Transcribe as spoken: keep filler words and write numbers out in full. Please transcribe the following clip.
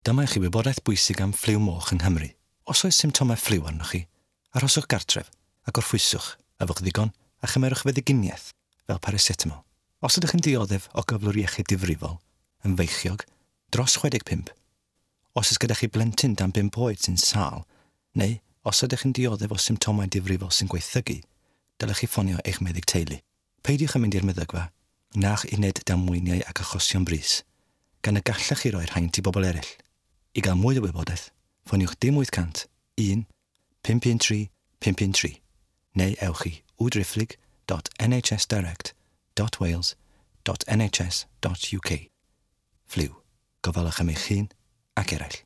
Dyma i chi wybodaeth bwysig am ffliw moch yng Nghymru. Os oes symptomau ffliw arnoch chi, arhoswch gartref a gorffwyswch, yfwch ddigon a chymerwch feddyginiaeth fel paracetamol. Os ydych yn dioddef o gyflwr iechyd difrifol, yn feichiog, dros chwe deg pump, os oes gyda chi blentyn dan bump oed sy'n sâl, neu os ydych yn dioddef o symptomau difrifol sy'n gwaethygu, dylech chi ffonio eich meddyg teulu. Peidiwch â mynd i'r meddygfa, na'ch uned damweiniau ac achosion brys, gan y gallech chi roi'r haint i bobl eraill. I gael mwy o wybodaeth, ffoniwch dim wyth cant un pump un tri pump un tri neu ewch i www dot n h s direct dot wales dot n h s dot u k. Ffliw, gofalwch am eich hun ac eraill.